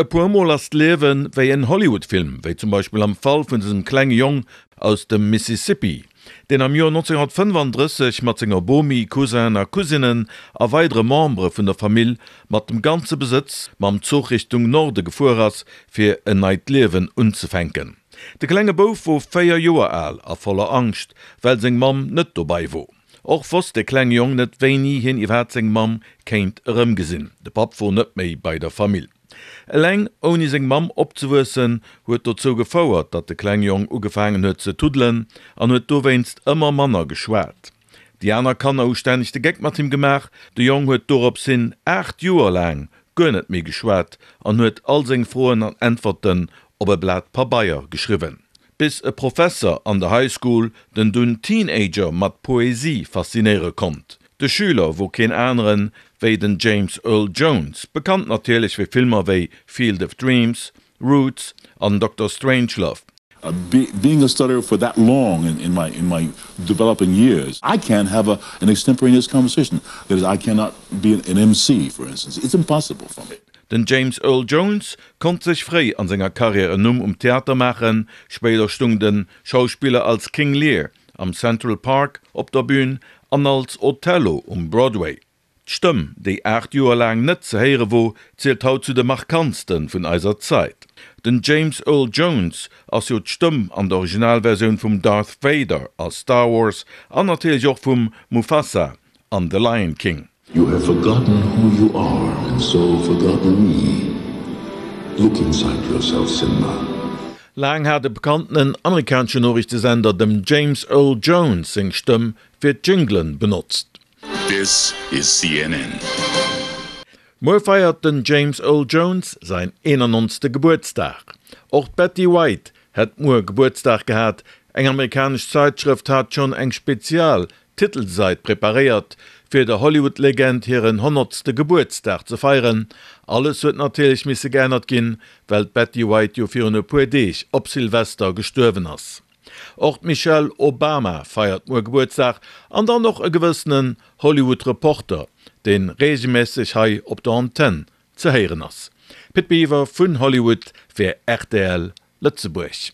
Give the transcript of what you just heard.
E puer Mol ass d'Liewe wéi en Hollywood-Film, wéi zum Beispill am Fall vun dësem klenge Jong aus dem Mississippi, deen am Joer 1935 mat senger Bomi, Cousinen a Cousinen a weidere Membere vun der Famill mat dem ganze Besëtz mam Zuch Richtung Norde gefuer ass, fir en neit Liewen unzefänken. De klenge Bouf wor 4 Joer al a voller Angscht, well seng Mamm net dobei wor. Och wosst de klenge Jong net wéini hien iwwerhaapt seng Mamm kéint erëmgesinn. De Papp wor net méi bei der Famill. Eleng ouni seng Mamm opzewuessen huet dozou gefouert, datt de klenge Jong ugefaangen huet ze tuddelen an huet dowéinst ëmmer manner geschwat. Déi aner Kanner hu stänneg de Geck mat him gemaach. De Jong huet dorops hin 8 Joer laang guer net méi geschwat an huet all seng Froen an Äntwerten op e Blat Pabeier geschriwwen. Bis e Professer an der High School den dunn Teenager mat Poesie faszinéiere konnt. De Schüler wor keen aneren wéi den James Earl Jones, bekannt natierlech fir Filmer wéi Field of Dreams, Roots an Dokter Strangelove. Being a stutterer for that long in my in my developing years, I can't have a an extemporaneous conversation, that is I cannot be an MC for instance, it's impossible for me. Den James Earl Jones konnt sech fréi an senger Karriär en Numm um Theater maachen, spéider stung de Schauspiller als King Lear am Central Park op der Bün an als Othello um Broadway. D'Stëmm, déi 8 Joer laang net ze héiere wor, zielt haut zu de markantste vun eiser Zait. Den James Earl Jones ass jo d'Stëmm an der Originalversioun vum Darth Vader a Star Wars an natierlech och vum Mufasa an The Lion King. You have forgotten who you are and so forgotten me. Look inside yourself, Simba. Laang hat e bekanntenen amerikanesche Noriichtesender dem James Earl Jones seng Stëmm fir d'Jinglen benotzt. This is CNN. Muer feiert den James Earl Jones säin 91. Gebuertsdag. Och d'Betty White hätt muer Gebuertsdag gehat. Eng amerikanesch Zaitschrëft hat schonn eng spezial Titelsäit preparéiert, fir der Hollywood-Legend hiren honnertste Gebuertsdag ze feieren. Alles huet natierlech misse geännert ginn, well d'Betty White jo virun e puer Deeg op Silvester gestuerwen ass. Och d'Michelle Obama feiert muer Gebuertsdag an dann och e gewëssenen Hollywood Reporter, deen reegelmässeg hei op der Antenn ze héieren ass. Pit Biwer vun Hollywood fir rtl Lëtzebuerg.